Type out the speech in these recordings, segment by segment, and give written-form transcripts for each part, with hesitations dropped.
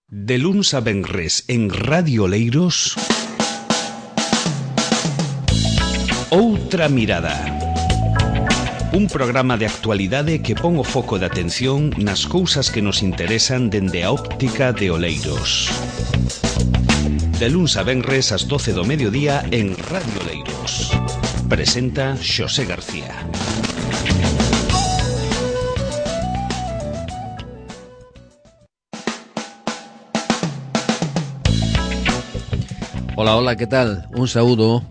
De luns a venres en Radio Oleiros, Outra Mirada. Un programa de actualidade que pon o foco de atención nas cousas que nos interesan dende a óptica de Oleiros. De luns a venres ás 12 do mediodía en Radio Oleiros. Presenta Xosé García. Ola, que tal? Un saúdo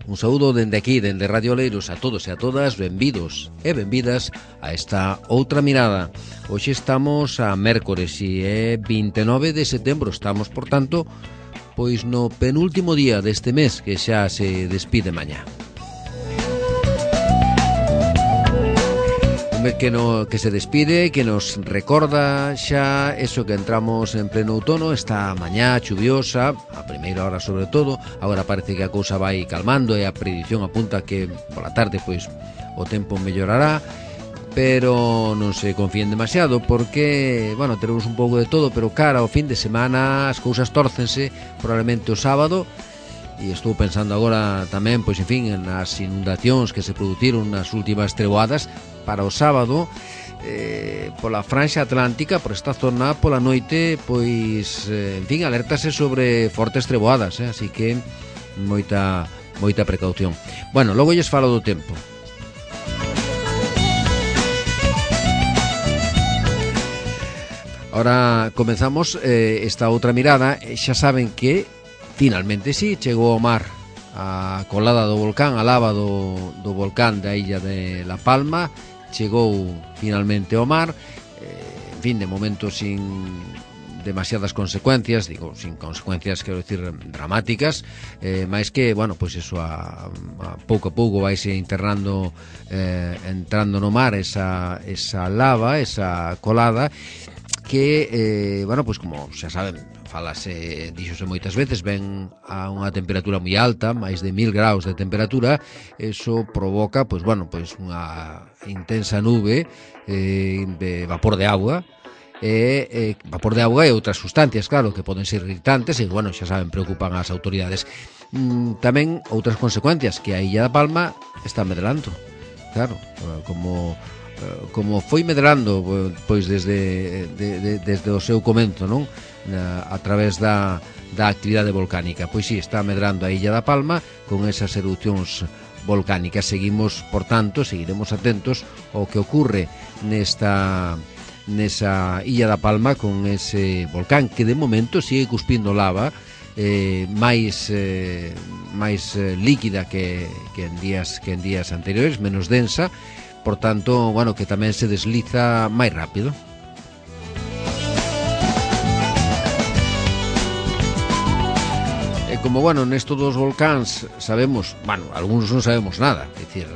dende aquí, dende Radio Oleiros, a todos e a todas, benvidos e benvidas a esta Outra Mirada. Hoxe estamos a mércores e é 29 de setembro, estamos, por tanto, pois no penúltimo día deste mes que xa se despide mañá. Que se despide, que nos recorda xa eso que entramos en pleno outono, esta mañá chuviosa, a primeira hora sobre todo. Agora parece que a cousa vai calmando e a predición apunta que pola tarde pois o tempo mellorará, pero non se confíen demasiado porque, bueno, teremos un pouco de todo, pero cara ao fin de semana as cousas tórcense, probablemente o sábado. E estou pensando agora tamén, pois, en fin, nas inundacións que se produciron nas últimas treboadas para o sábado, pola franxa atlántica, por esta zona, pola noite, pois, en fin, alértase sobre fortes treboadas, así que moita precaución. Bueno, logo lles falo do tempo. Ahora comenzamos esta outra mirada. Xa saben que finalmente sí, chegou ao mar a colada do volcán, a lava do volcán da illa de La Palma, chegou finalmente ao mar, en fin, de momento sin demasiadas consecuencias, digo, sin consecuencias, quero decir, dramáticas, máis que, bueno, pois eso, a pouco a pouco vaise entrando no mar esa lava, esa colada, que, bueno, pois como xa saben, díxose moitas veces, ven a unha temperatura moi alta, máis de 1000 graus de temperatura. Eso provoca, pois, bueno, pois unha intensa nube de vapor de auga, e outras sustancias, claro, que poden ser irritantes e, bueno, xa saben, preocupan as autoridades. Tamén outras consecuencias, que a Illa da Palma está medrando, claro, como foi medrando, pois desde o seu comenzo, non? A través da actividade volcánica. Pois sí, está medrando a Illa da Palma con esas erupcións volcánicas. Seguiremos atentos ao que ocurre nesa Illa da Palma con ese volcán que de momento sigue cuspindo lava, máis líquida que en días anteriores, menos densa, por tanto, bueno, que tamén se desliza máis rápido. Como, bueno, nesto dos volcáns sabemos, bueno, algúns non sabemos nada, é dicir,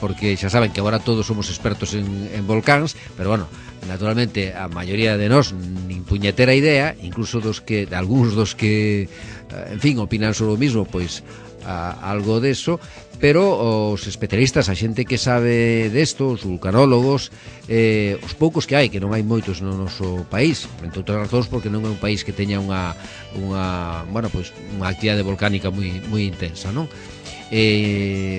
porque xa saben que agora todos somos expertos en volcáns, pero, bueno, naturalmente a maioría de nós nin puñetera idea, incluso algúns dos que, en fin, opinan sobre o mismo, pois algo deso, pero os especialistas, a xente que sabe desto, os vulcanólogos, os poucos que hai, que non hai moitos no noso país, entre outras razóns porque non é un país que teña unha actividade volcánica moi intensa, non?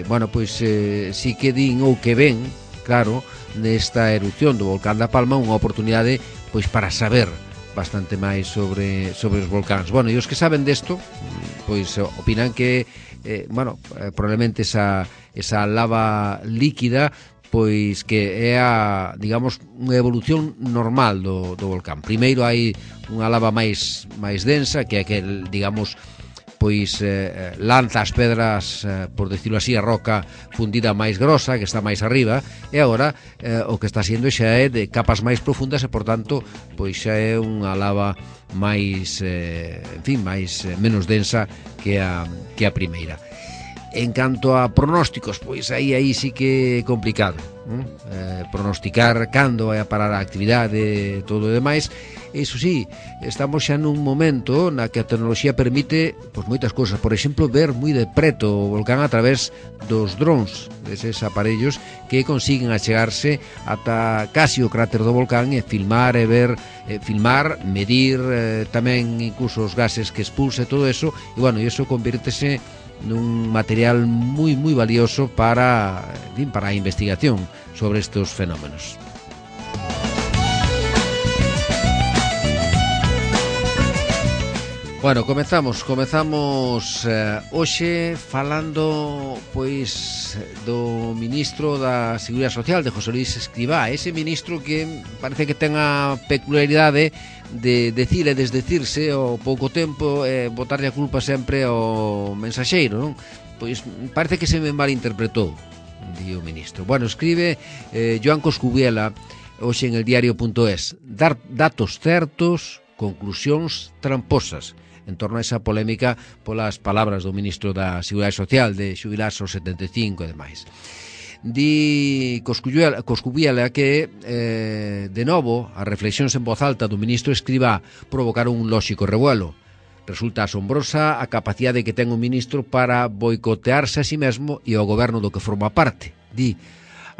Bueno, pois si que din ou que ven, claro, nesta erupción do volcán da Palma unha oportunidade pois para saber bastante máis sobre os volcáns. Bueno, e os que saben desto, pois opinan que probablemente esa lava líquida pois que é digamos, unha evolución normal do volcán. Primeiro hai unha lava máis densa, que é aquel, digamos, pois lanza as pedras, por decirlo así, a roca fundida máis grosa, que está máis arriba, e agora o que está sendo xa é de capas máis profundas e, por tanto, pois xa é unha lava máis, menos densa que a primeira. En canto a pronósticos, pois aí sí que é complicado, pronosticar cando vai a parar a actividade e todo o demais. Iso sí, estamos xa nun momento na que a tecnoloxía permite pois moitas cousas, por exemplo, ver moi de preto o volcán a través dos drons, deses aparellos que consiguen achegarse ata casi o cráter do volcán e filmar e ver, medir tamén incluso os gases que expulsa e todo eso, e bueno, iso convírtese nun material moi valioso para a investigación sobre estes fenómenos. Bueno, comezamos hoxe falando pois do ministro da Seguridade Social, de José Luis Escrivá, ese ministro que parece que ten a peculiaridade de decir e desdecirse ao pouco tempo e botarlle a culpa sempre ao mensaxeiro, non? Pois parece que se me malinterpretou, di o ministro. Bueno, escribe Joan Coscubiela hoxe en el diario.es, dar datos certos, conclusións tramposas, en torno a esa polémica polas palabras do ministro da Seguridade Social de xubilarse aos 75 e demais. Di Coscubiela que de novo as reflexións en voz alta do ministro Escrivá provocaron un lóxico revuelo. Resulta asombrosa a capacidade que ten o ministro para boicotearse a si mesmo e ao goberno do que forma parte. Di,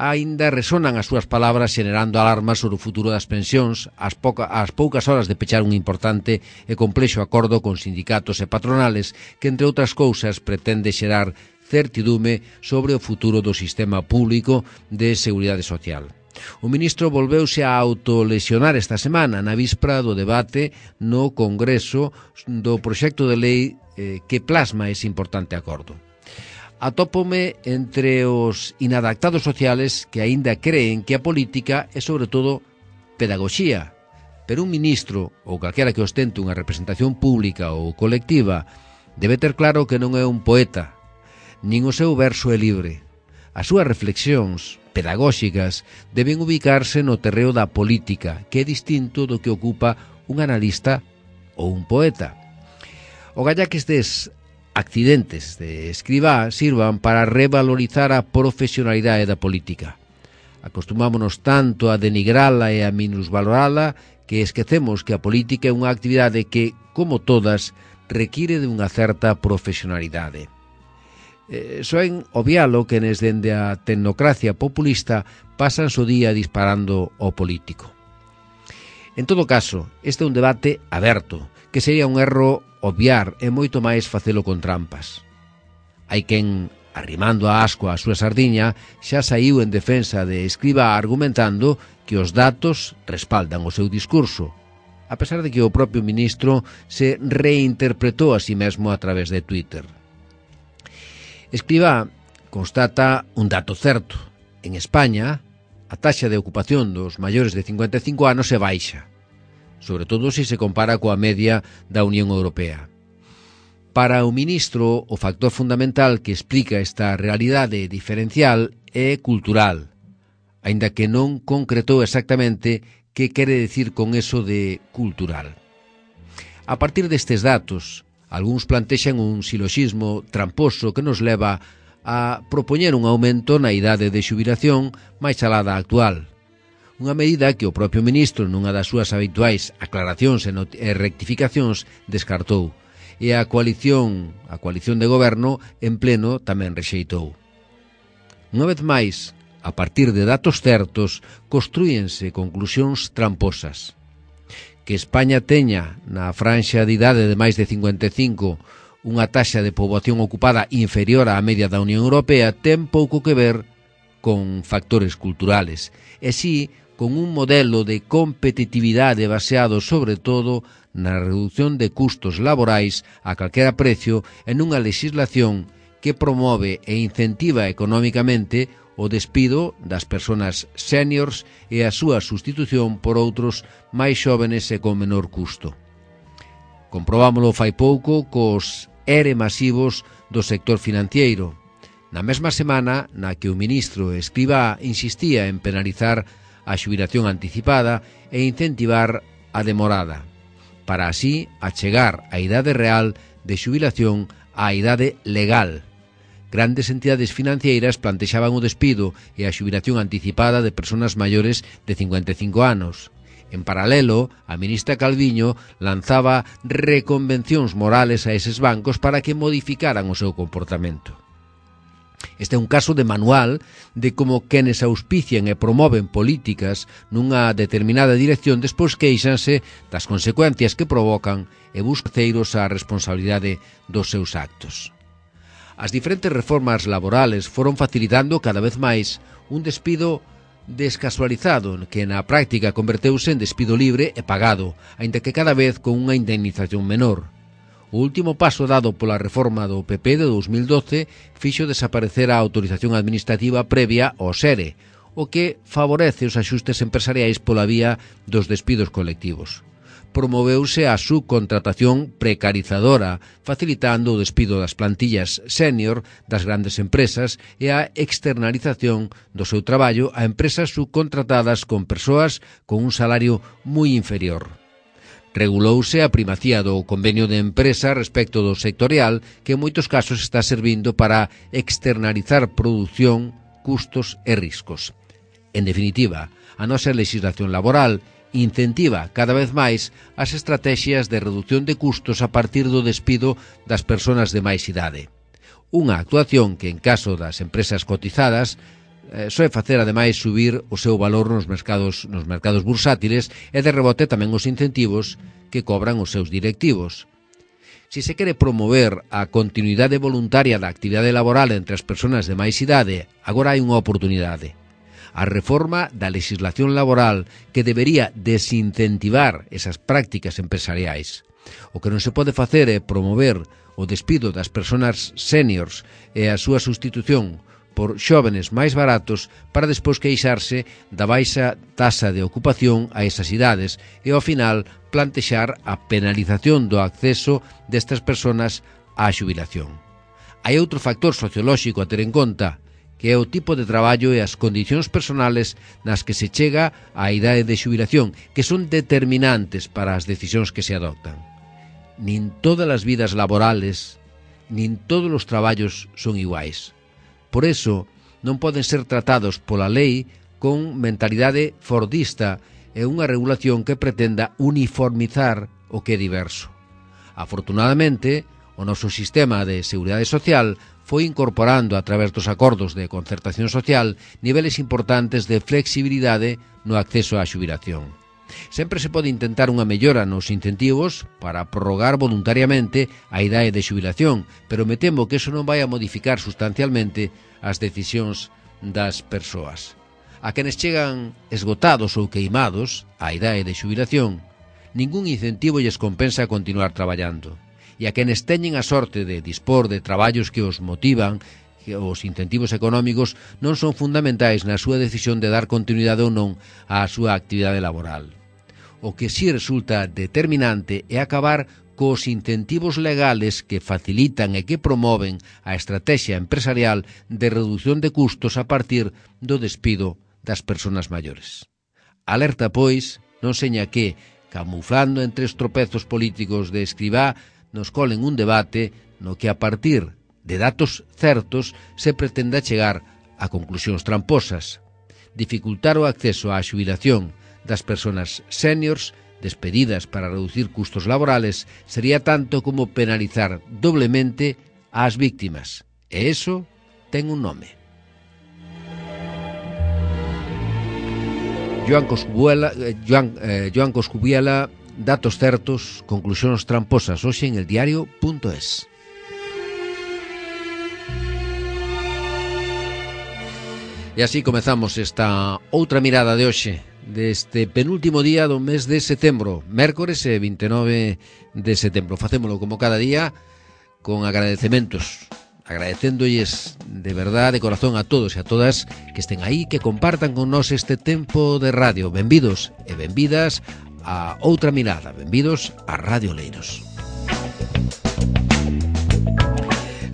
aínda resonan as súas palabras xenerando alarmas sobre o futuro das pensións ás poucas horas de pechar un importante e complexo acordo con sindicatos e patronales que, entre outras cousas, pretende xerar certidume sobre o futuro do sistema público de seguridade social. O ministro volveuse a autolesionar esta semana na víspera do debate no Congreso do proxecto de lei que plasma ese importante acordo. Atópome entre os inadaptados sociales que aínda creen que a política é sobre todo pedagogía, pero un ministro ou calquera que ostente unha representación pública ou colectiva debe ter claro que non é un poeta, nin o seu verso é libre. As súas reflexións pedagóxicas deben ubicarse no terreo da política, que é distinto do que ocupa un analista ou un poeta. O galla que estes accidentes de Escrivá sirvan para revalorizar a profesionalidade da política. Acostumámonos tanto a denigrala e a minusvalorala que esquecemos que a política é unha actividade que, como todas, require de unha certa profesionalidade. Soen obvialo que dende a tecnocracia populista pasan o día disparando ao político. En todo caso, este é un debate aberto, que sería un erro obviar e moito máis facelo con trampas. Hai quen, arrimando a asco a súa sardiña, xa saiu en defensa de Escrivá argumentando que os datos respaldan o seu discurso, a pesar de que o propio ministro se reinterpretou a si mesmo a través de Twitter. Escrivá constata un dato certo. En España, a taxa de ocupación dos maiores de 55 anos é baixa, sobre todo se se compara coa media da Unión Europea. Para o ministro, o factor fundamental que explica esta realidade diferencial é cultural, aínda que non concretou exactamente que quere decir con eso de cultural. A partir destes datos, algúns plantexan un siloxismo tramposo que nos leva a propoñer un aumento na idade de xubilación máis alá da actual. Unha medida que o propio ministro, nunha das súas habituais aclaracións e rectificacións, descartou, e a coalición de goberno en pleno tamén rexeitou. Unha vez máis, a partir de datos certos, construíense conclusións tramposas. Que España teña na franxa de idade de máis de 55 unha taxa de poboación ocupada inferior á media da Unión Europea ten pouco que ver con factores culturales, e si con un modelo de competitividade baseado sobre todo na reducción de custos laborais a calquera precio en unha legislación que promove e incentiva económicamente o despido das persoas seniors e a súa sustitución por outros máis xóvenes e con menor custo. Comprobámolo fai pouco cos ERE masivos do sector financiero, na mesma semana na que o ministro Escrivá insistía en penalizar a xubilación anticipada e incentivar a demorada, para así achegar a idade real de xubilación á idade legal, grandes entidades financeiras plantexaban o despido e a xubilación anticipada de persoas maiores de 55 anos. En paralelo, a ministra Calviño lanzaba reconvencións morales a eses bancos para que modificaran o seu comportamento. Este é un caso de manual de como quenes auspician e promoven políticas nunha determinada dirección despois queixanse das consecuencias que provocan e buscan ceiros a responsabilidade dos seus actos. As diferentes reformas laborales foron facilitando cada vez máis un despido descasualizado que na práctica converteuse en despido libre e pagado, aínda que cada vez con unha indemnización menor. O último paso dado pola reforma do PP de 2012 fixo desaparecer a autorización administrativa previa ao SERE, o que favorece os axustes empresariais pola vía dos despidos colectivos. Promoveuse a subcontratación precarizadora, facilitando o despido das plantillas senior das grandes empresas e a externalización do seu traballo a empresas subcontratadas con persoas con un salario moi inferior. Regulouse a primacía do convenio de empresa respecto do sectorial, que en moitos casos está servindo para externalizar produción, custos e riscos. En definitiva, a nosa legislación laboral incentiva cada vez máis as estrategias de reducción de custos a partir do despido das persoas de máis idade. Unha actuación que, en caso das empresas cotizadas, soe facer ademais subir o seu valor nos mercados bursátiles e de rebote tamén os incentivos que cobran os seus directivos. Si se quere promover a continuidade voluntaria da actividade laboral entre as persoas de máis idade, agora hai unha oportunidade. A reforma da legislación laboral que debería desincentivar esas prácticas empresariais. O que non se pode facer é promover o despido das persoas seniors e a súa sustitución por xóvenes máis baratos para despois queixarse da baixa tasa de ocupación a esas idades e ao final plantexar a penalización do acceso destas persoas á xubilación. Hai outro factor sociolóxico a ter en conta, que é o tipo de traballo e as condicións personales nas que se chega á idade de xubilación, que son determinantes para as decisións que se adoptan. Nin todas as vidas laborales, nin todos os traballos son iguais. Por eso, non poden ser tratados pola lei con mentalidade fordista e unha regulación que pretenda uniformizar o que é diverso. Afortunadamente, o noso sistema de seguridade social foi incorporando a través dos acordos de concertación social niveles importantes de flexibilidade no acceso á xubilación. Sempre se pode intentar unha mellora nos incentivos para prorrogar voluntariamente a idade de xubilación, pero me temo que eso non vai a modificar sustancialmente as decisións das persoas. A quenes chegan esgotados ou queimados á idade de xubilación, ningún incentivo lles compensa continuar traballando. E a quenes teñen a sorte de dispor de traballos que os motivan, que os incentivos económicos non son fundamentais na súa decisión de dar continuidade ou non á súa actividade laboral. O que si resulta determinante é acabar cos incentivos legales que facilitan e que promoven a estrategia empresarial de reducción de custos a partir do despido das persoas maiores. Alerta, pois, non seña que, camuflando entre os tropezos políticos de Escribá, nos colen un debate no que a partir de datos certos se pretenda chegar a conclusións tramposas. Dificultar o acceso á xubilación das persoas seniors despedidas para reducir custos laborales sería tanto como penalizar doblemente ás víctimas. E eso ten un nome. Joan Coscubiela, datos certos, conclusións tramposas, hoxe en eldiario.es. E así comezamos esta outra mirada de hoxe, deste penúltimo día do mes de setembro, mércores 29 de setembro. Facémolo como cada día con agradecementos, agradecéndolles de verdade, de corazón a todos e a todas que estén aí, que compartan con nós este tempo de radio. Benvidos e benvidas a outra mirada, benvidos a Radio Oleiros.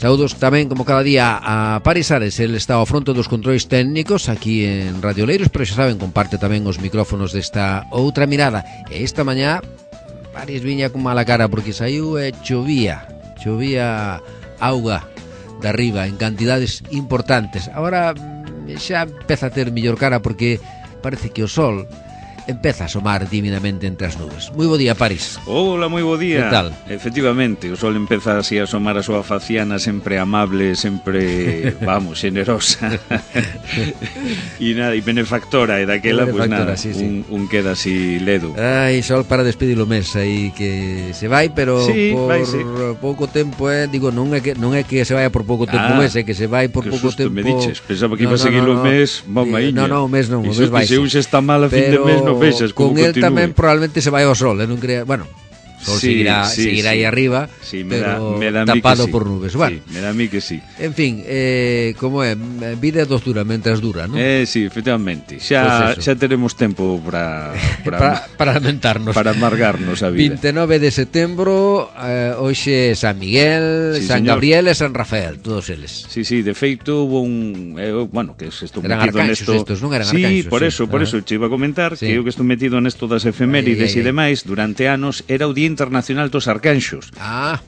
Saúdos tamén, como cada día, a Paris Ares. El está ao fronte dos controis técnicos aquí en Radio Oleiros, pero xa saben, comparte tamén os micrófonos desta outra mirada. E esta mañá Paris viña con mala cara porque saiu e chovía auga de arriba en cantidades importantes. Agora xa empeza a ter mellor cara porque parece que o sol empeza a asomar tímidamente entre as nubes. Moi bo día, París. Hola, moi bo día. Que tal? Efectivamente, o sol empeza así a asomar a súa faciana sempre amable, sempre, vamos, generosa. E nada, e benefactora, e daquela, pois nada, sí. un queda así ledo. Ai, sol para despedir o mes aí que se vai, pero sí, por vai, sí. pouco tempo, digo, non é que se vaya por pouco tempo o mes, é que se vai por pouco tempo. Me diches, pensaba que iba a seguir o mes, mamaíña. No, o mes non, o mes vai. Se un xa está mal a fin de mes, non vexas como con el continúe. Tamén probablemente se vai ao sol, non crea, bueno, sol seguirá aí arriba, sí, pero me da tapado sí. por nubes. Bueno, sí, me da a mí que sí. En fin, como é, vida é dostura mentras dura, non? Sí, efectivamente. Xa teremos tempo para lamentarnos, para amargarnos a vida. 29 de setembro, hoxe San Miguel, sí, San señor. Gabriel e San Rafael, todos eles. Sí, de feito hubo un, bueno, que estou eran metido nesto. Estos, non eran sí, arcanxos. por eso te iba a comentar que eu que estou metido nesto das efemérides e demais, durante anos era o Día Internacional dos Arcanxos. Claro,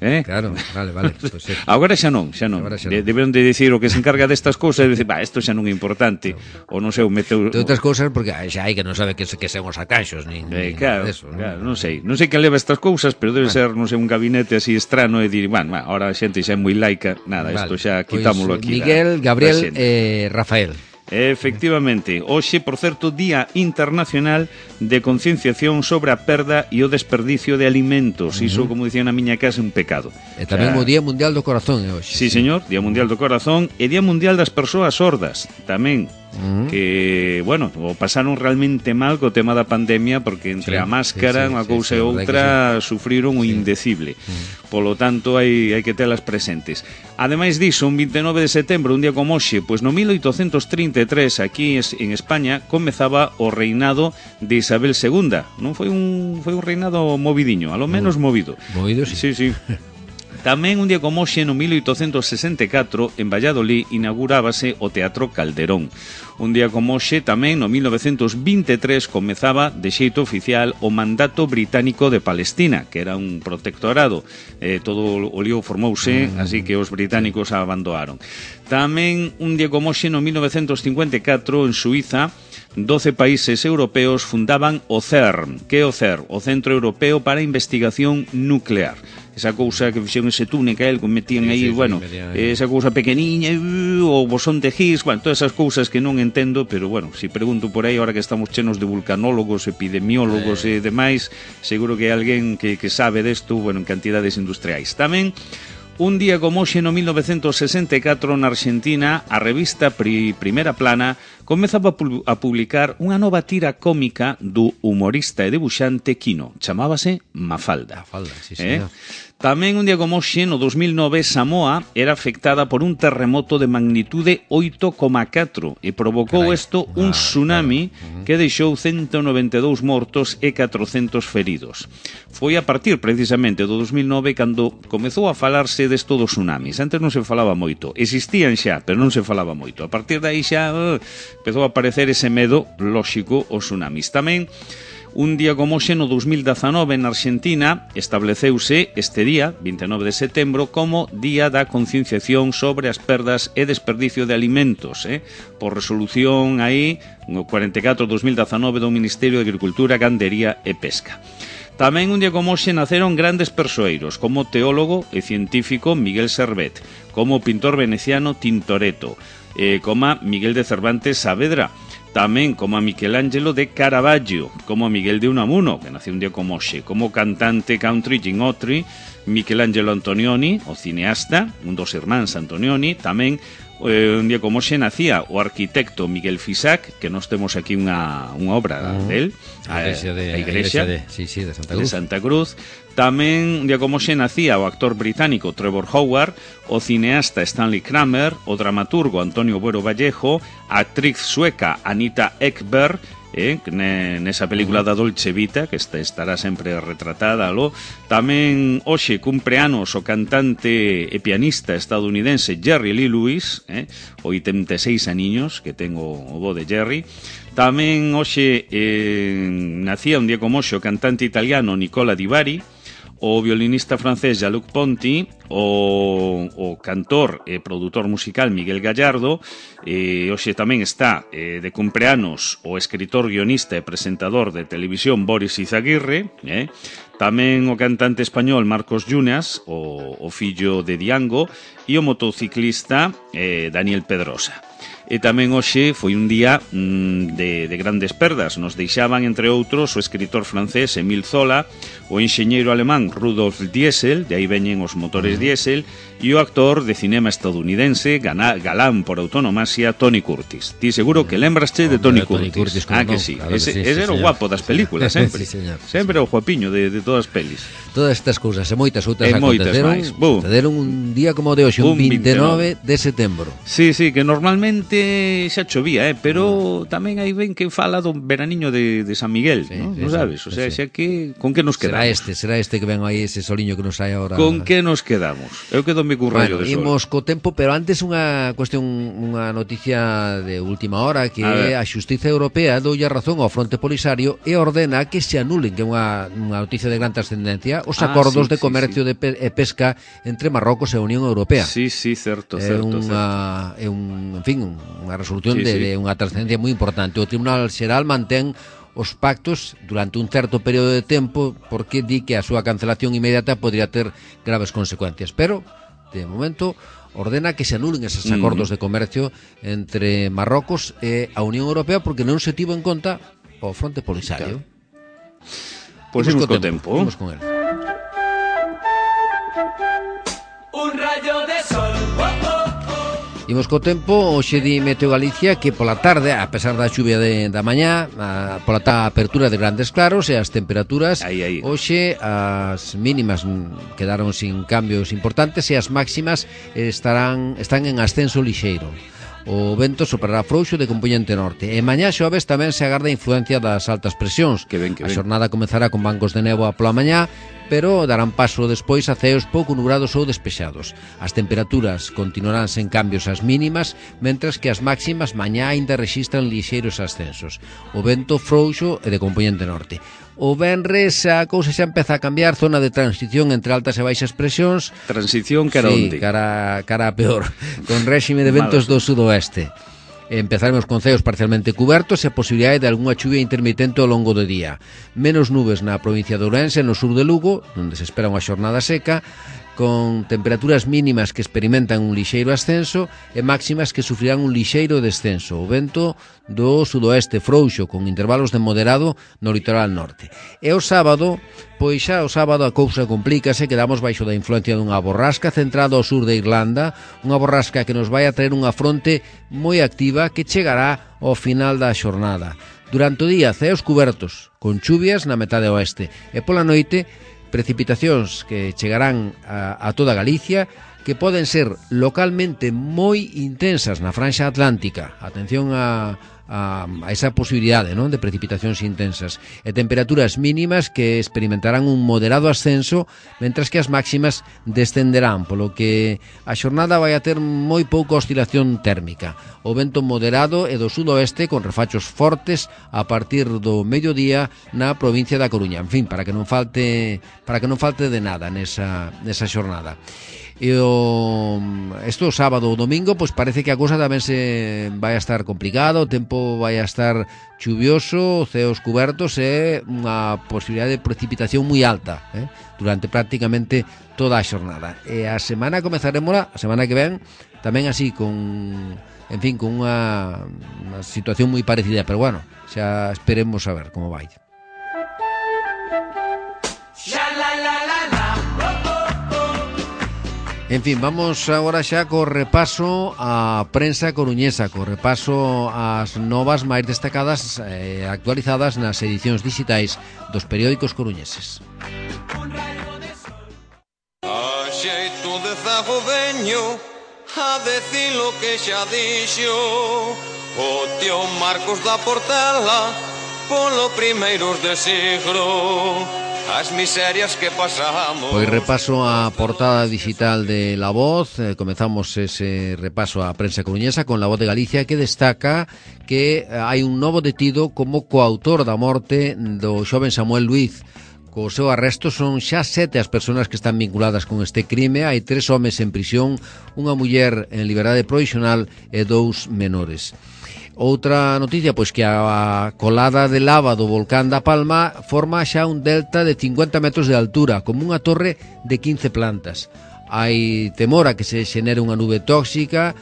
vale. Pues sí. Agora xa non. Deberon de dicir o que se encarga destas cousas, de decir, isto xa non é importante, ou non sei, o meteu... De outras cousas, porque xa hai que non sabe que son os arcanxos, nin claro, eso, claro, non sei que leva estas cousas, pero debe ser, non sei, un gabinete así estrano e dir, ahora a xente xa é moi laica, nada, isto xa quitámoslo aquí. Miguel, Gabriel e Rafael. Efectivamente, hoxe, por certo, Día Internacional de Concienciación sobre a perda e o desperdicio de alimentos. Iso, como dicía na miña casa, é un pecado. E tamén o Día Mundial do Corazón é hoxe. Sí, señor, Día Mundial do Corazón e Día Mundial das Persoas Sordas, tamén. Que, bueno, o pasaron realmente mal co tema da pandemia, porque entre a máscara, unha cousa e outra, sufriron o indecible. Polo tanto, hai que telas presentes. Ademais diso, un 29 de setembro, un día como hoxe, pois no 1833, aquí en España, comezaba o reinado de Isabel II. Non foi un reinado movidiño, a lo menos movido. Movido, sí. Sí. Tamén un día como hoxe, no 1864, en Valladolid, inaugurábase o Teatro Calderón. Un día como hoxe, tamén, no 1923, comezaba de xeito oficial o mandato británico de Palestina, que era un protectorado. Todo o lío formouse, así que os británicos abandonaron. Tamén un día como hoxe, no 1954, en Suiza, 12 países europeos fundaban o CERN. Que é o CERN? O Centro Europeo para a Investigación Nuclear. Esa cousa que fixeron ese túnel que metían aí, esa cousa pequeniña, o bosón de Higgs, todas esas cousas que non entendo, pero si pregunto por aí, ahora que estamos chenos de vulcanólogos, epidemiólogos e demais, seguro que hai alguén que sabe desto, en cantidades industriais. Tamén, un día como hoxe, no 1964, na Argentina, a revista Primera Plana comezaba a publicar unha nova tira cómica do humorista e debuxante Quino. Chamábase Mafalda. Sí, señor. Tamén un día como hoxe, no 2009, Samoa era afectada por un terremoto de magnitude 8,4 e provocou un tsunami que deixou 192 mortos e 400 feridos. Foi a partir precisamente do 2009 cando comezou a falarse desto dos tsunamis. Antes non se falaba moito, existían xa, pero non se falaba moito. A partir de aí xa empezou a aparecer ese medo lóxico aos tsunamis. Tamén un día como hoxe, no 2019, na Argentina, estableceuse este día, 29 de setembro, como Día da Concienciación sobre as perdas e desperdicio de alimentos, por resolución aí, no 44-2019 do Ministerio de Agricultura, Gandería e Pesca. Tamén un día como hoxe naceron grandes persoeiros, como o teólogo e científico Miguel Servet, como o pintor veneciano Tintoretto, como Miguel de Cervantes Saavedra, tamén como a Michelangelo de Caravaggio, como a Miguel de Unamuno, que nació un día como hoxe, como cantante country Gene Autry, Michelangelo Antonioni, o cineasta, un dos irmáns Antonioni, tamén un día como hoxe nacía o arquitecto Miguel Fisac, que nós temos aquí unha obra del, a igrexa de Santa Cruz. Tamén un día como hoxe nacía o actor británico Trevor Howard, o cineasta Stanley Kramer, o dramaturgo Antonio Buero Vallejo, a actriz sueca Anita Ekberg, nesa película da Dolce Vita, que estará sempre retratada. Tamén hoxe cumpre anos o cantante e pianista estadounidense Jerry Lee Lewis, 86 aniños, que tengo o bo de Jerry. Tamén hoxe nacía un día como hoxe o cantante italiano Nicola Di Bari, o violinista francés Jean-Luc Ponty, o cantor e produtor musical Miguel Gallardo, hoxe tamén está de cumpleanos o escritor, guionista e presentador de televisión Boris Izaguirre, tamén o cantante español Marcos Llunas, o fillo de Diango, e o motociclista Daniel Pedrosa. E tamén hoxe foi un día de grandes perdas. Nos deixaban, entre outros, o escritor francés Émile Zola, o enxeñeiro alemán Rudolf Diesel, de aí veñen os motores Diesel, e o actor de cinema estadounidense, galán por autonomasia, Tony Curtis. Ti seguro que lembraste de Tony Curtis. Que sí. Claro ese era o guapo das películas, sempre. Sí, sempre o guapiño de todas as pelis. Todas estas cousas e moitas outras aconteceron un día como de hoxe, un 29 de setembro. Sí, que normalmente xa chovía, pero tamén hai ben que fala do veraniño de San Miguel, non sabes? O sea, xa que con que nos quedamos? Será este que ven aí, ese soliño que nos hai agora. Con que nos quedamos? Eu quedome cun rayo de sol. Imos co tempo, pero antes unha cuestión, unha noticia de última hora, que a Xustiza Europea doulle razón ao Fronte Polisario e ordena que se anulen, que é unha noticia de gran trascendencia, os acordos de comercio e pesca entre Marrocos e a Unión Europea. Sí, certo. É unha resolución de unha trascendencia moi importante. O Tribunal Xeral mantén os pactos durante un certo período de tempo porque di que a súa cancelación inmediata podría ter graves consecuencias, pero de momento ordena que se anulen esos acordos de comercio entre Marrocos e a Unión Europea porque non se tivo en conta o Fronte Polisario. Pois imos co tempo. Imos con él. Un rayo de sol. Imos co tempo, hoxe di Meteo Galicia que pola tarde, a pesar da chuvia da mañá, pola apertura de grandes claros e as temperaturas, hoxe as mínimas quedaron sin cambios importantes e as máximas están en ascenso lixeiro. O vento soprará frouxo de compoñente norte. E mañá xoves tamén se agarda a influencia das altas presións. A xornada comezará con bancos de néboa pola mañá, pero darán paso despois a ceos pouco nubrados ou despexados. As temperaturas continuarán sen cambios as mínimas, mentras que as máximas mañá aínda rexistran lixeiros ascensos. O vento frouxo e de compoñente norte. O venres a cousa xa empeza a cambiar, zona de transición entre altas e baixas presións. Transición cara onde? Cara a peor, con réxime de ventos do sudoeste. Empezaremos con ceos parcialmente cubertos e a posibilidade de algunha chuvia intermitente ao longo do día. Menos nubes na provincia de Ourense, no sur de Lugo, onde se espera unha xornada seca, con temperaturas mínimas que experimentan un lixeiro ascenso e máximas que sufrirán un lixeiro descenso. O vento do sudoeste frouxo con intervalos de moderado no litoral norte. E o sábado, pois xa o sábado a cousa complícase, quedamos baixo da influencia dunha borrasca centrada ao sur de Irlanda, unha borrasca que nos vai a traer unha fronte moi activa que chegará ao final da xornada. Durante o día, ceos cubertos, con chuvias na metade oeste, e pola noite precipitacións que chegarán a toda Galicia, que poden ser localmente moi intensas na franxa atlántica. Atención a esa posibilidade, non, de precipitacións intensas, e temperaturas mínimas que experimentarán un moderado ascenso, mentras que as máximas descenderán, polo que a xornada vai a ter moi pouca oscilación térmica. O vento moderado e do sudoeste con refachos fortes a partir do mediodía na provincia da Coruña. En fin, para que non falte de nada nesa xornada. E o sábado ou domingo, pois parece que a cousa tamén se vai a estar complicada, o tempo vai a estar chuvioso, ceos cubertos e unha posibilidade de precipitación moi alta durante prácticamente toda a xornada. E a semana comezaremos a semana que ven tamén así con unha situación moi parecida, pero bueno, xa esperemos a ver como vai. En fin, vamos agora xa co repaso á prensa coruñesa, co repaso ás novas máis destacadas e actualizadas nas edicións digitais dos periódicos coruñeses. A xeito de zago veño a decir lo que xa dixo o tío Marcos da Portela polo primeiros de siglo. As miserias que pasamos. Pois repaso a portada digital de La Voz. Comezamos ese repaso á prensa coruñesa con La Voz de Galicia, que destaca que hai un novo detido como coautor da morte do xoven Samuel Luiz, Co seu arresto son xa 7 as persoas que están vinculadas con este crime. Hai 3 homes en prisión, unha muller en liberdade provisional e 2 menores. Outra noticia, pois que a colada de lava do volcán da Palma forma xa un delta de 50 metros de altura, como unha torre de 15 plantas. Hai temor a que se xenere unha nube tóxica.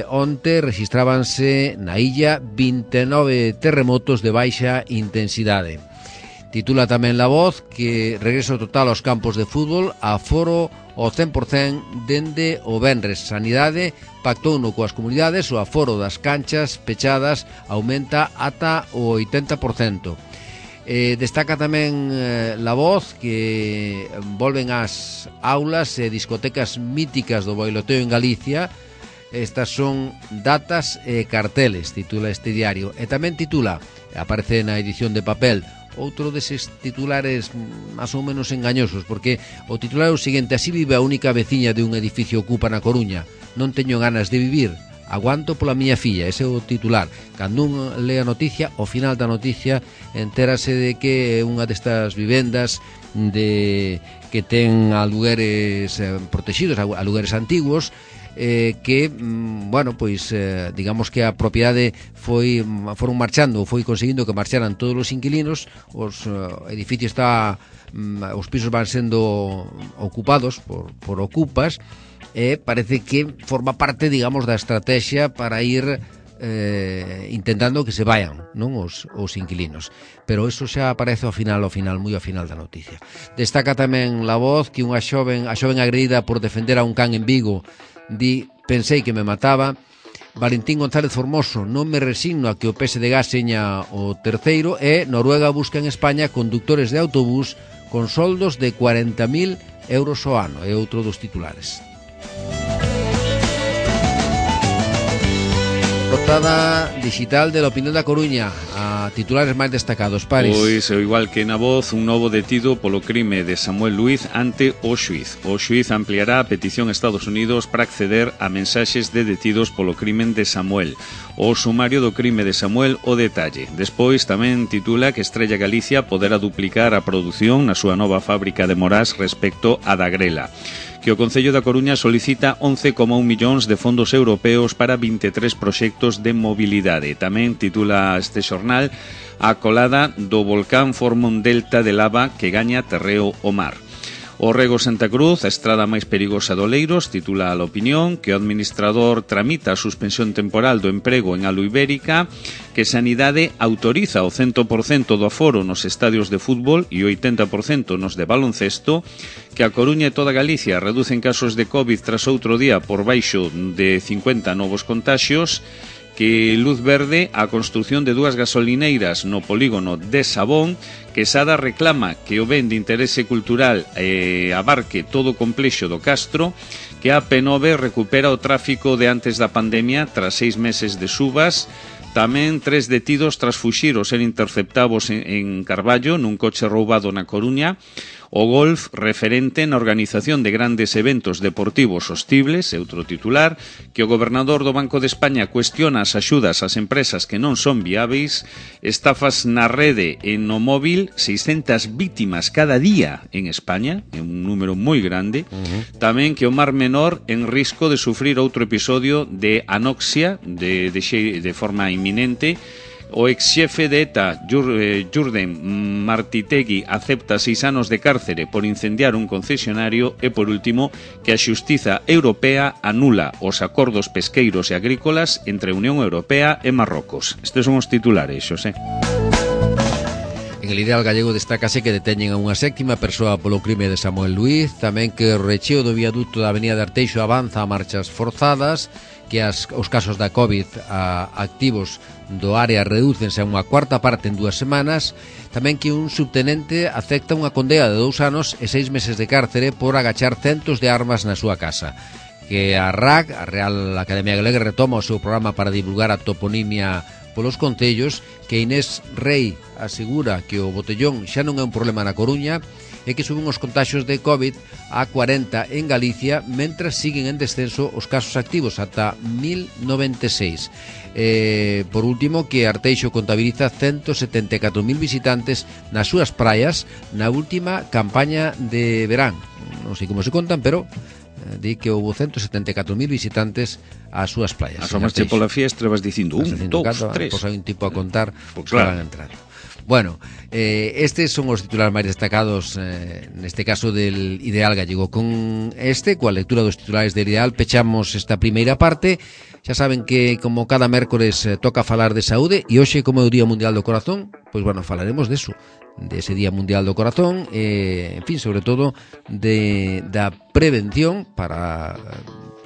Onte registrábanse na illa 29 terremotos de baixa intensidade. Titula tamén La Voz que regreso total aos campos de fútbol, aforo ao 100% dende o venres. Sanidade pactou no coas comunidades, o aforo das canchas pechadas aumenta ata o 80%. Destaca tamén La Voz que volven ás aulas e discotecas míticas do boiloteo en Galicia. Estas son datas e carteles, titula este diario. E tamén titula, aparece na edición de papel, outro deses titulares máis ou menos engañosos, porque o titular é o seguinte: así vive a única veciña de un edificio ocupa na Coruña. Non teño ganas de vivir, aguanto pola miña filla. Ese é o titular. Cando un lee a noticia, ao final da noticia entérase de que é unha destas vivendas que ten alugueres protegidos, alugueres antiguos, que, bueno, pois digamos que a propiedade foron marchando, foi conseguindo que marcharan todos os inquilinos. Os edificios os pisos van sendo ocupados por ocupas, e parece que forma parte, digamos, da estrategia para ir intentando que se vayan, non, os inquilinos. Pero eso xa aparece ao final, moi ao final da noticia. Destaca tamén La Voz que a xoven agredida por defender a un can en Vigo di: pensei que me mataba. Valentín González Formoso: non me resigno a que o PSDG seña o terceiro. E Noruega busca en España conductores de autobús con soldos de 40.000 euros ao ano. É outro dos titulares. Portada digital de La Opinión da Coruña, a titulares máis destacados. Paris. Pois, igual que na Voz, un novo detido polo crime de Samuel Luiz ante o xuiz. O xuiz ampliará a petición a Estados Unidos para acceder a mensaxes de detidos polo crimen de Samuel. O sumario do crime de Samuel, o detalle. Despois tamén titula que Estrella Galicia poderá duplicar a produción na súa nova fábrica de Morás respecto a da Grela. Que o Concello da Coruña solicita 11,1 millóns de fondos europeos para 23 proxectos de mobilidade. Tamén titula este xornal: a colada do volcán forma un delta de lava que gaña terreo o mar. O Rego Santa Cruz, a estrada máis perigosa do Oleiros, titula a La Opinión que o administrador tramita a suspensión temporal do emprego en Alu Ibérica, que Sanidade autoriza o 100% do aforo nos estadios de fútbol e o 80% nos de baloncesto, que a Coruña e toda Galicia reducen casos de COVID tras outro día por baixo de 50 novos contaxios, que luz verde a construción de 2 gasolineiras no polígono de Sabón, que Sada reclama que o ben de interese cultural abarque todo o complexo do Castro, que a P9 recupera o tráfico de antes da pandemia tras 6 meses de subas. Tamén 3 detidos tras fuxir ou ser interceptados en Carballo nun coche roubado na Coruña. O golf referente na organización de grandes eventos deportivos sostibles, é outro titular, que o gobernador do Banco de España cuestiona as axudas ás empresas que non son viáveis. Estafas na rede e no móvil, 600 vítimas cada día en España, é un número moi grande. Tamén que o Mar Menor en risco de sufrir outro episodio de anoxia de forma inminente. O exxefe de ETA, Jurden Martitegui, acepta 6 anos de cárcere por incendiar un concesionario. E, por último, que a Xustiza Europea anula os acordos pesqueiros e agrícolas entre a Unión Europea e Marrocos. Estes son os titulares, Xosé. En el Ideal Gallego destácase que deteñen a unha 7ª persoa polo crime de Samuel Luiz. Tamén que o recheo do viaduto da Avenida de Arteixo avanza a marchas forzadas, que os casos da COVID activos do área redúcense a unha 1/4 parte en 2 semanas. Tamén que un subtenente acepta unha condena de 2 anos e 6 meses de cárcere por agachar centos de armas na súa casa. Que a RAC, a Real Academia Galega, retoma o seu programa para divulgar a toponimia polos concellos. Que Inés Rei asegura que o botellón xa non é un problema na Coruña, é que suben os contaxios de COVID a 40 en Galicia, mentras siguen en descenso os casos activos ata 1096. Por último, que Arteixo contabiliza 174.000 visitantes nas súas praias na última campaña de verán. Non sei como se contan, pero di que houve 174.000 visitantes ás súas praias. Asomaste pola fiestra, vas dicindo 1, 2, 3. Pois hai un tipo a contar Pues que claro. van a entrar. Bueno, estes son os titulares máis destacados neste caso del Ideal Gallego. Con coa lectura dos titulares del Ideal, pechamos esta primeira parte. Xa saben que, como cada mércores, toca falar de saúde, e hoxe, como é o Día Mundial do Corazón, pois, bueno, falaremos deso, dese Día Mundial do Corazón, en fin, sobre todo da prevención para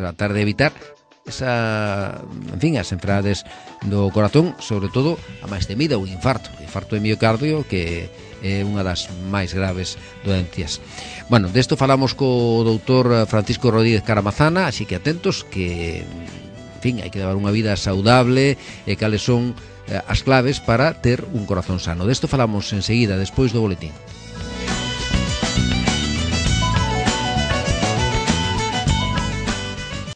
tratar de evitar as enfermedades do corazón, sobre todo a máis temida, o infarto de miocardio, que é unha das máis graves doencias. Bueno, desto falamos co doutor Francisco Rodríguez Caramazana, así que atentos, que en fin, hai que levar unha vida saudable, e cales son as claves para ter un corazón sano. Desto falamos enseguida, despois do boletín.